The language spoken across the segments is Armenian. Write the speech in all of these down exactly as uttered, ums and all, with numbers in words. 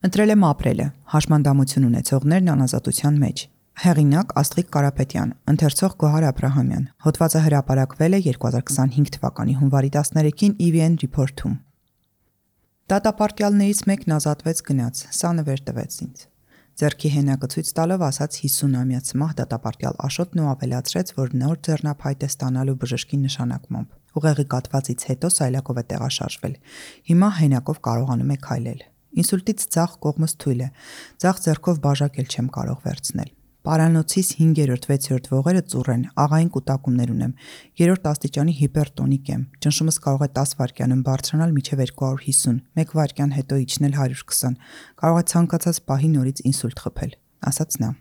Ընտրել եմ ապրելը, հաշմանդամություն ունեցողներն անազատության մեջ։ Հեղինակ Աստղիկ Կարապետյան, ընթերցող Գոհար Աբրահամյան։ Հոդվածը հրապարակվել է երկու հազար քսանհինգ թվականի հունվարի տասներեքին ի վի են Report-ում։ Դատապարտյալներից մեկն ազատվեց գնաց, սա նվեր տվեց ինձ։ Ձեռքի հենակը ցույց տալով ասաց հիսունամյա ցմահ դատապարտյալ Աշոտն ու ավելացրեց, որ նոր ձեռնափայտ է ստանալու բժշկի նշանակմամբ։ Ուղեղի կաթվածից հետո սայլակով է տեղաշարժվել։ Հիմա հենակով կարողանում է քայլել։ Ինսուլտից ձախ կողմս թույլ է, ձախ ձեռքով բաժակել չեմ կարող վերցնել։ Պարանոցիս հինգերորդ վեցերորդ ողերը ծուռ են, աղային կուտակումներ ունեմ, երրորդ աստիճանի հիպերտոնիկ եմ, ճնշումս կարող է տասը վայրկյանում բարձրանալ մինչև երկու հարյուր հիսուն, մեկ վայրկյան հետո իջնել հարյուր քսան, կարող է ցանկացած պահի նորից ինսուլտ խփել, ասաց նա։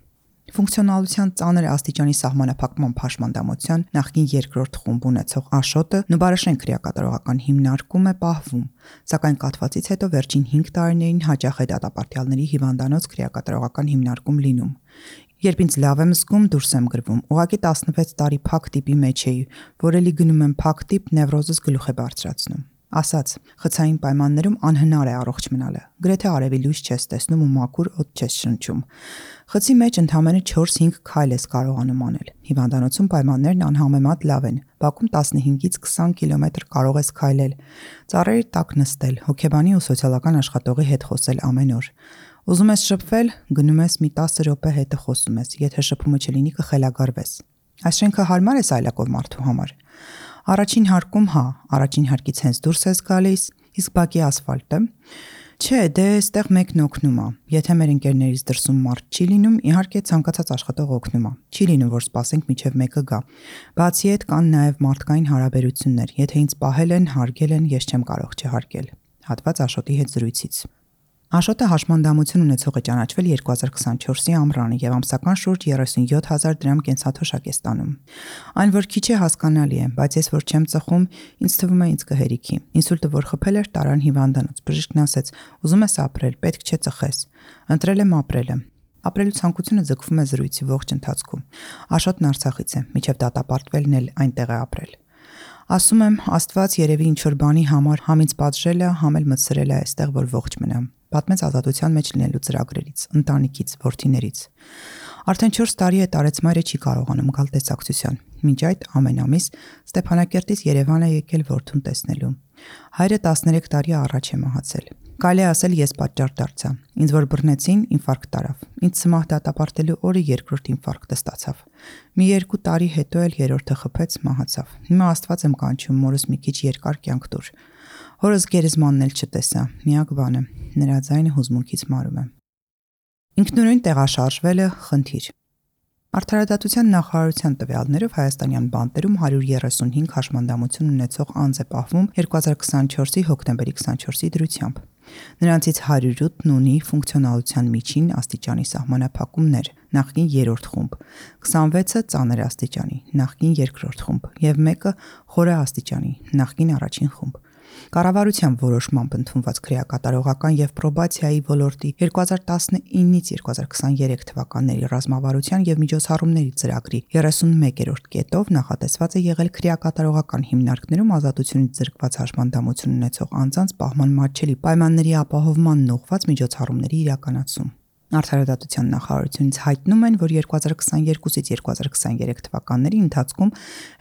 Ֆունկցիոնալության ծանր աստիճանի սահմանափակման հաշմանդամության նախկին երկրորդ խումբ ունեցող Աշոտը Նուբարաշեն քրեակատարողական հիմնարկում է պահվում, սակայն կաթվածից հետո վերջին հինգ տարիներին հաճախ է դատապարտյալների հիվանդանոց քրեակատարողական հիմնարկում լինում։ Երբ ինձ լավ եմ զգում, դուրս եմ գրվում, ուղղակի տասնվեց տարի փակ տիպի մեջ էի, որ էլի գնում եմ փակ տիպ, նևրոզս գլուխ է բարձրացնում։ Ասաց, խցային պայմաններում անհնար է առողջ մնալը, գրեթե արևի լույս չես տեսնում ու մաքուր օդ չես շնչում։ Խցի մեջ ընդամենը չորս-հինգ քայլ ես կարողանում անել։ Հիվանդանոցում պայմաններն անհամեմատ լավ են, բակում տասնհինգից քսան կիլոմետր կարող ես քայլել, ծառերի տակ նստել, հոգեբանի ու սոցիալական աշխատողի հետ խոսել ամեն օր։ Ուզում ես շփվել, գնում ես մի տասը րոպե հետը խոսում ես, եթե շփումը չլինի կխելագարվես։ Այս շենքը հարմար է սայլակով մարդու համար։ Առաջին հարկում հա, առաջին հարկից հենց դուրս ես գալիս, իսկ բակի ասֆալտը։ Չէ, դե այստեղ մեկն օգնում է։ Եթե մեր ընկերներից դրսում մարդ չի լինում, իհարկե ցանկացած աշխատող օգնում է։ Չի լինում, որ սպասենք մինչև մեկը գա։ Բացի այդ կան նաև մարդկային հարաբերություններ։ Եթե ինձ պահել են, հարգել են, ես չեմ կարող չհարգել։ Հատված Աշոտի հետ զրույցից։ Աշոտը հաշմանդամություն ունեցող է ճանաչվել երկու հազար քսանչորսի ամռանը եւ ամսական շուրջ երեսունյոթ հազար դրամ կենսաթոշակ է ստանում։ Այն որ քիչ է հասկանալի է, բայց ես որ չեմ ծխում, ինձ թվում է ինձ կհերիքի։ Ինսուլտը որ խփել էր, տարան հիվանդանոց։ Բժիշկն ասեց. «Ուզում ես ապրել, պետք չէ ծխես»։ Ընտրել եմ ապրելը։ Ապրելու ցանկությունը ձգվում է զրույցի ողջ ընթացքում։ Աշոտն Արցախից է, միջև դատապարտվելն էլ այնտեղ է ապրել։ Ասում եմ, Աստված երևի ինչ-որ բանի համար համ ինձ պատժել է, համ էլ մտցրել է այստեղ, որ ողջ մնամ։ Պատմեց ազատության մեջ լինելու ծրագրերից, ընտանիքից, որդիներից։ Արդեն չորս տարի է տարեցմայրը չի կարողանում գալ տեսակցության։ Մինչ այդ ամեն ամիս Ստեփանակերտից Երևան է եկել որդուն տեսնելու։ Հայրը տասներեք տարի առաջ է մահացել։ Կարելի է ասել ես պատճառ դարձա։ Ինձ որ բռնեցին, ինֆարկտ տարավ։ Ինձ ցմահ դատապարտելու օրը երկրորդ ինֆարկտը ստացավ։ Մի երկու տարի հետո էլ երրորդը խփեց, մահացավ։ Հիմա Աստված եմ կանչում, մորս մի քիչ երկար կյանք տուր։ Հորս գերեզմանն էլ չտեսա, միակ բանը, նրա ձայնը հուզմունքից մարում է։ Ինքնուրույն տեղաշարժվելը խնդիր։ Արդարադատության նախարարության տվյալներով հայաստանյան բանտերում հարյուր երեսունհինգ հաշմանդամություն ունեցող անձ է պահվում երկու հազար քսանչորսի հոկտեմբերի քսանչորսի դրությամբ։ Նրանցից հարյուր ութն ունի ֆունկցիոնալության միջին աստիճանի սահմանափակումներ, նախկին երրորդ խումբ, քսանվեցը ծանր աստիճանի, նախկին երկրորդ խումբ և մեկը խորը աստիճանի, նախկին առաջին խումբ։ Կառավարության որոշմամբ ընդունված քրեակատարողական և պրոբացիայի ոլորտի երկու հազար տասնինից երկու հազար քսաներեք թվականների ռազմավարության և միջոցառումների ծրագրի երեսունմեկերորդ կետով նախատեսված է եղել քրեակատարողական հիմնարկներում ազատությունից զրկված հաշմանդամություն ունեցող անձանց պահման մատչելի պայմանների ապահովմանն ուղղված միջոցառումների իրականացում։ Արդարադատության նախարարությունից հայտնում են, որ երկու հազար քսաներկուսից երկու հազար քսաներեք թվականների ընթացքում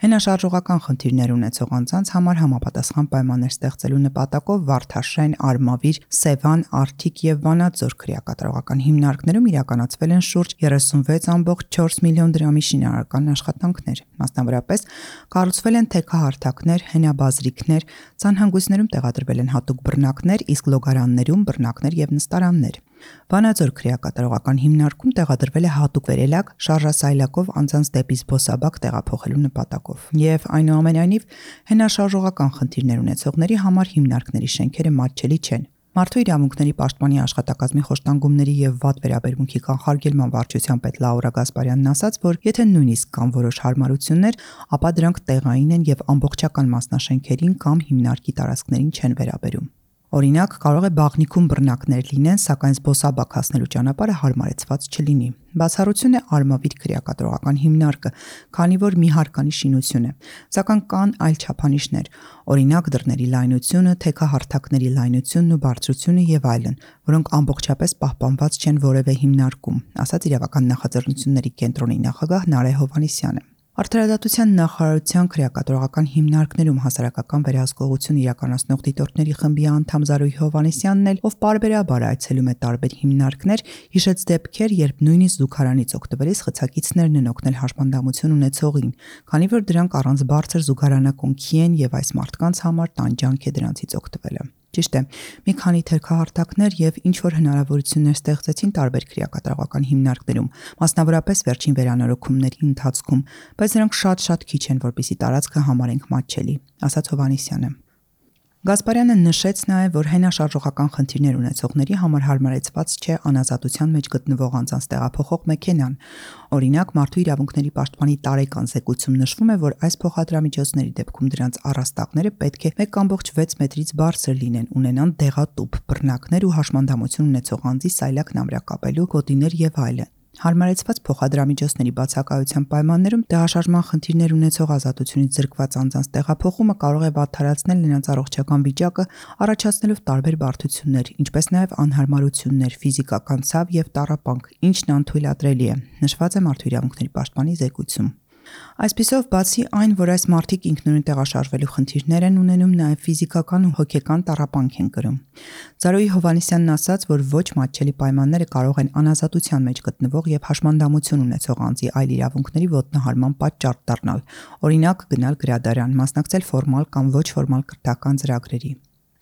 հենաշարժողական խնդիրներ ունեցող անձանց համար համապատասխան պայմաններ ստեղծելու նպատակով Վարդաշեն, Արմավիր, Սևան, Արթիկ եւ Վանաձոր քրեակատարողական հիմնարկներում իրականացվել են շուրջ երեսունվեց կόμma չորս միլիոն դրամի շինարարական աշխատանքներ։ Մասնավորապես կառուցվել են թեքահարթակներ, հենաբազրիկներ, ցանհանգույցներում տեղադրվել են հատուկ բռնակներ, իսկ լոգարաններում բռնակներ եւ նստարաններ։ Վանաձոր քրեակատարողական հիմնարկում տեղադրվել է հատուկ վերելակ շարժասայլակով անձանց դեպի զբոսաբակ տեղափոխելու նպատակով։ Եվ այնուամենայնիվ հենաշարժողական խնդիրներ ունեցողների համար հիմնարկների շենքերը մատչելի չեն։ Մարդու իրավունքների պաշտպանի աշխատակազմի խոշտանգումների եւ վատ վերաբերմունքի կանխարգելման վարչության պետ Լաուրա Գասպարյանն ասաց, որ եթե նույնիսկ կան որոշ հարմարություններ, ապա դրանք տեղային են եւ ամբողջական մասնաշենքերին կամ հիմնարկի տարածքներին չեն վերաբերում։ Օրինակ, կարող է բաղնիքում բռնակներ լինեն, սակայն զբոսաբակ հասնելու ճանապարհը հարմարեցված չլինի։ Բացառություն է արմավիր քրեակատարողական հիմնարկը, քանի որ մի հարկանի շինություն է, սակայն կան այլ չափանիշներ, օրինակ դռների լայնությունը, թեքահարթակների լայնությունն ու բարձրությունը եւ այլն, որոնք ամբողջապես պահպանված չեն որևէ հիմնարկում, ասաց Իրավական նախաձեռնությունների կենտրոնի նախագահ Նարէ Հովհաննիսյանը։ Արդարադատության նախարարության քրեակատարողական հիմնարկներում հասարակական վերահսկողություն իրականացնող դիտորդների խմբի անդամ Զարուհի Հովհաննիսյանն էլ, ով պարբերաբար այցելում է տարբեր հիմնարկներ, հիշեց դեպքեր, երբ նույնիսկ զուգարանից օգտվելիս խցակիցներն են օգնել հաշմանդամություն ունեցողին, քանի որ դրանք առանց բարձր զուգարանակոնքի են եւ այս մարդկանց համար տանջանք է դրանցից օգտվելը։ Ճիշտ է, մի քանի թերքահարտակներ եւ ինչ որ հնարավորություններ ստեղծեցին տարբեր քրեակատարողական հիմնարկներում, մասնավորապես վերջին վերանորոգումների ընթացքում, բայց նրանք շատ-շատ քիչ են, որպեսզի տարածքը համարենք մատչելի, ասաց Հովհաննիսյանը։ Գասպարյանը նշեց նաև, որ հենաշարժողական խնդիրներ ունեցողների համար հարմարեցված չէ անազատության մեջ գտնվող անձանց տեղափոխող մեքենան։ Օրինակ, Մարդու իրավունքների պաշտպանի տարեկան զեկույցում նշվում է, որ այս փոխադրամիջոցների դեպքում դրանց առաստաղները պետք է մեկ կամբողջ վեց մետրից բարձր լինեն, ունենան դեղատուփ, բռնակներ ու հաշմանդամություն ունեցող անձի սայլակն ամրակապելու գոտիներ եւ այլն։ Հարմարեցված փոխադրամիջոցների բացակայության պայմաններում տեղաշարժման խնդիրներ ունեցող ազատությունից զրկված անձանց տեղափոխումը կարող է վատթարացնել նրանց առողջական վիճակը, առաջացնելով տարբեր բարդություններ, ինչպես նաև անհարմարություններ, ֆիզիկական ցավ եւ տառապանք, ինչն անթույլատրելի է, նշված է Մարդու իրավունքների պաշտպանի զեկույցում։ Այսպիսով, բացի այն, որ այս մարդիկ ինքնուրույն տեղաշարժվելու խնդիրներ են ունենում, նաև ֆիզիկական ու հոգեկան տառապանք են կրում։ Զարուհի Հովհաննիսյանն ասաց, որ ոչ մատչելի պայմանները կարող են անազատության մեջ գտնվող եւ հաշմանդամություն ունեցող անձի այլ իրավունքների ոտնահարման պատճառ դառնալ, օրինակ գնալ գրադարան, մասնակցել ֆորմալ կամ ոչ ֆորմալ կրթական ծրագրերի։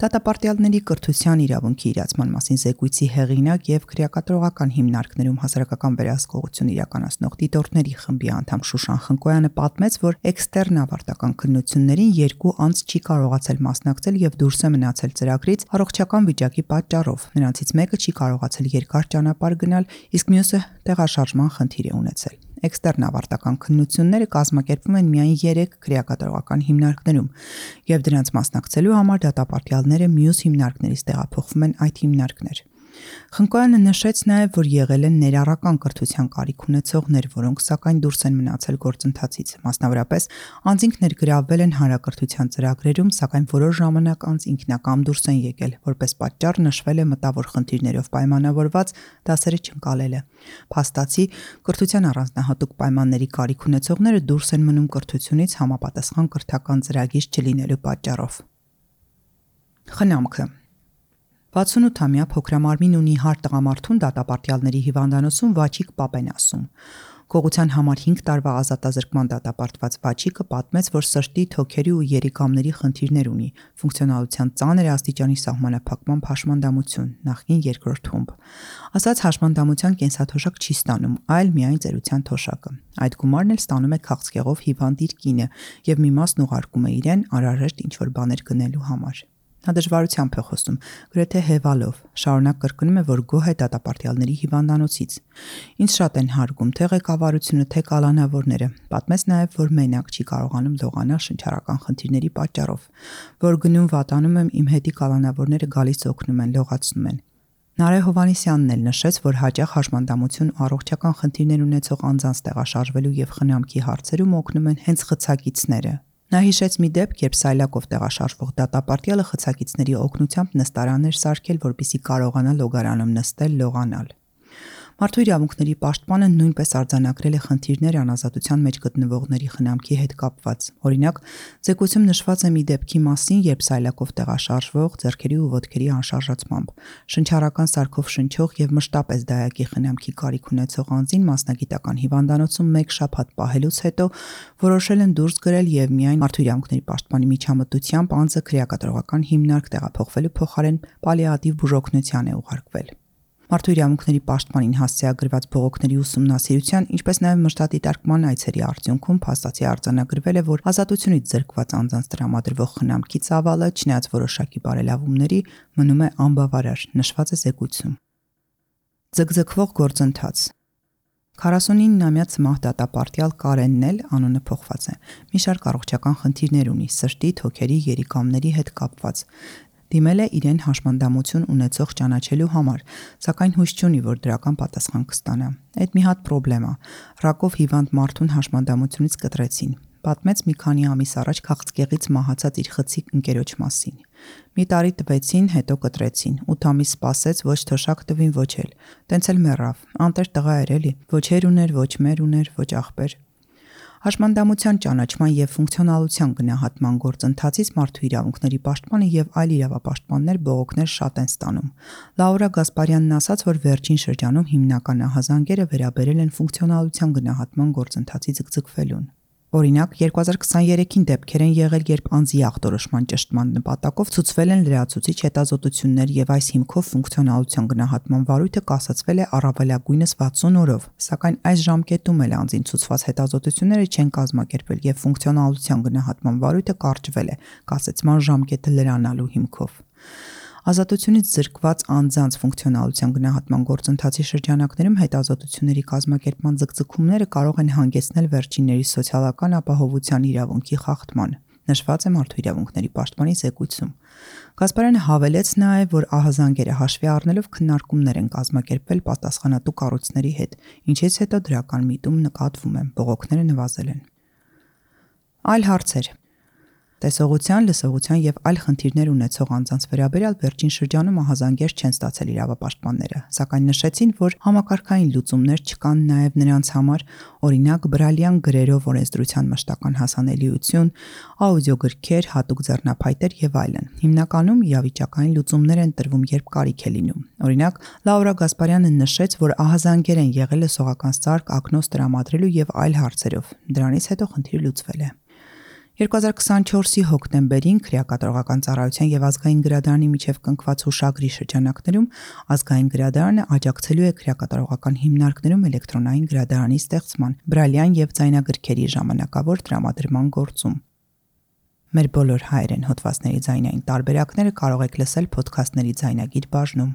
Դատապարտյալների կրթության իրավունքի իրացման մասին զեկույցի հեղինակ եւ քրեակատարողական հիմնարկներում հասարակական վերահսկողություն իրականացնող դիտորդների խմբի անդամ Շուշան Խնկոյանը պատմեց, որ էքստերն ավարտական քննություններին երկու անձ չի կարողացել մասնակցել եւ դուրս է մնացել ծրագրից առողջական վիճակի պատճառով։ Նրանցից մեկը չի կարողացել երկար ճանապարհ գնալ, իսկ մյուսը տեղաշարժման խնդիր է ունեցել։ Էքստերն ավարտական քննությունները կազմակերպվում են միայն երեք քրեակատարողական հիմնարկներում, եւ դրանց մասնակցելու համար դատապարտյալները մյուս հիմնարկներից տեղափոխվում են այդ հիմնարկներ։ Խնկոյանը նշեց նաև, որ եղել են ներառական կրթության կարիք ունեցողներ, որոնք սակայն դուրս են մնացել գործընթացից։ Մասնավորապես, անձինք ներգրավվել են հանրակրթության ծրագրերում, սակայն որոշ ժամանակ անց ինքնակամ դուրս են եկել, որպես պատճառ նշվել է մտավոր խնդիրներով պայմանավորված դասերը չընկալելը։ Փաստացի, կրթության առանձնահատուկ պայմանների կարիք ունեցողները դուրս են մնում կրթությունից համապատասխան կրթական ծրագիր չլինելու պատճառով։ Խնամքը վաթսունութամյա փոքրամարմին ունի հարթ տղամարդուն դատապարտյալների հիվանդանոցում Վաչիկ Պապեն ասում։ Գողության համար հինգ տարվա ազատազրկման դատապարտված Վաչիկը պատմեց, որ սրտի, թոքերի ու երիկամների խնդիրներ ունի, ֆունկցիոնալության ծանր աստիճանի սահմանափակման հաշմանդամություն, նախկին երկրորդ թումբ։ Ասաց հաշմանդամության կենսաթոշակ չի ստանում, այլ միայն ծերության թոշակը։ Այդ գումարն էլ ստանում է քաղցկեղով հիվանդ իր կինը եւ մի մասն ուղարկում է իրեն անհրաժեշտ ինչ-որ բաներ գնելու համար։ Նա դժվարությամբ է խոսում, գրեթե հևալով, շարունակ կրկնում է, որ գոհ է դատապարտյալների հիվանդանոցից։ Ինձ շատ են հարգում թե ղեկավարությունը, թե կալանավորները։ Պատմեց նաև, որ մենակ չի կարողանում լողանալ շնչառական խնդիրների պատճառով, որ գնում վատանում եմ, իմ հետի կալանավորները գալիս օգնում են, լողացնում են։ Նարէ Հովհաննիսյանն էլ նշեց, որ հաճախ հաշմանդամություն ու առողջական խնդիրներ ունեցող անձանց տեղաշարժվելու եւ խնամքի հարցերում օգնում են հենց խցակիցները։ Նա հիշեց մի դեպք, երբ սայլակով տեղաշարժվող դատապարտյալը խցակիցների օգնությամբ նստարան էր սարքել, որպեսզի կարողանա լոգարանում նստել, լողանալ։ Մարդու իրավունքների պաշտպանը նույնպես արձանագրել է խնդիրներ անազատության մեջ գտնվողների խնամքի հետ կապված։ Օրինակ, զեկույցում նշված է մի դեպքի մասին, երբ սայլակով տեղաշարժվող ձեռքերի ու ոտքերի անշարժացմամբ շնչառական սարքով շնչող եւ մշտապես դայակի խնամքի կարիք ունեցող անձին մասնագիտական հիվանդանոցում մեկ շաբաթ պահելուց հետո որոշել են դուրս գրել եւ միայն Մարդու իրավունքների պաշտպանի միջամտությամբ անձը քրեակատարողական հիմնարկ տեղափոխվելու փոխարեն պալիատիվ բուժօգնության է ուղարկվել։ Մարդու իրավունքների պաշտպանին հասցեագրված բողոքների ուսումնասիրության, ինչպես նաև մշտադիտարկման այցերի արդյունքում փաստացի արձանագրվել է, որ ազատությունից զրկված անձանց տրամադրվող խնամքի ծավալը, չնայած որոշակի բարելավումների, մնում է անբավարար, նշված է զեկույցում։ Ձգձգվող գործընթաց քառասունիննամյա ցմահ դատապարտյալ Կարենն էլ, անունը փոխված է, մի շարք առողջական խնդիրներ ունի, սրտի, թոքերի, երիկամների հետ կապված։ Դիմել է իրեն հաշմանդամություն ունեցող ճանաչելու համար, սակայն հույս չունի, որ դրական պատասխան կստանա։ Այդ մի հատ պրոբլեմ է։ Ռակով հիվանդ մարդուն հաշմանդամությունից կտրեցին։ Պատմեց մի քանի ամիս առաջ քաղցկեղից մահացած իր խցիկ ընկերոջ մասին։ Մի տարի տվեցին, հետո կտրեցին, ութ ամիս սպասեց, ոչ թոշակ տվին, ոչ էլ։ Տենց էլ մեռավ, անտեր տղա էր էլի, ոչ հեր ուներ, ոչ մեր ուներ, ոչ աղբեր։ Հաշմանդամության ճանաչման եւ ֆունկցիոնալության գնահատման գործընթացից մարդու իրավունքների պաշտպանը եւ այլ իրավապաշտպաններ բողոքներ շատ են ստանում։ Լաուրա Գասպարյանն ասաց, որ վերջին շրջանում հիմնական ահազանգերը վերաբերել են ֆունկցիոնալության գնահատման գործընթացի ձգձգվելուն։ Օրինակ, երկու հազար քսաներեքին դեպքեր են եղել, երբ անձի ախտորոշման ճշտման նպատակով ցուցվել են լրացուցիչ հետազոտություններ եւ այս հիմքով ֆունկցիոնալության գնահատման վարույթը կասեցվել է առավելագույնս վաթսուն օրով, սակայն այս ժամկետում էլ անձին ցուցված հետազոտությունները չեն կազմակերպվել եւ ֆունկցիոնալության գնահատման վարույթը կարճվել է կասեցման ժամկետը լրանալու հիմքով։ Ազատությունից զրկված անձանց ֆունկցիոնալության գնահատման գործընթացի շրջանակներում հետազոտությունների կազմակերպման ձգձգումները կարող են հանգեցնել վերջինների սոցիալական ապահովության իրավունքի խախտման, նշված է Մարդու իրավունքների պաշտպանի զեկույցում։ Գասպարյանը հավելեց նաև, որ ահազանգերը հաշվի առնելով քննարկումներ են կազմակերպվել պատասխանատու կառույցների հետ, ինչից հետո դրական միտում նկատվում է, բողոքները նվազել են։ Այլ հարցեր։ Տեսողության, լսողության եւ այլ խնդիրներ ունեցող անձանց վերաբերյալ վերջին շրջանում ահազանգեր չեն ստացել իրավապաշտպանները, սակայն նշեցին, որ համակարգային լուծումներ չկան նաեւ նրանց համար, օրինակ բրալյան գրերով օրենսդրության մշտական հասանելիություն, աուդիոգրքեր, հատուկ ձեռնափայտեր եւ այլն։ Հիմնականում իրավիճակային լուծումներ են տրվում, երբ կարիք է լինում։ Օրինակ, Լաուրա Գասպարյանը նշեց, որ ահազանգեր են եղել լսողական սարք, ակնոց տրամադրելու եւ այլ հարցերով։ Դրանից հետո խնդիրը լուծվել է։ երկու հազար քսանչորսի հոկտեմբերին Քրեակատարողական ծառայության եւ ազգային գրադարանի միջև կնքված հուշագրի շրջանակներում ազգային գրադարանը աջակցելու է քրեակատարողական հիմնարկներում էլեկտրոնային գրադարանի ստեղծման, բրալյան եւ ձայնագրքերի ժամանակավոր տրամադրման գործում։ Մեր բոլոր հայերեն հոդվածների ձայնային տարբերակները կարող եք լսել փոդքասթների ձայնագիր բաժնում։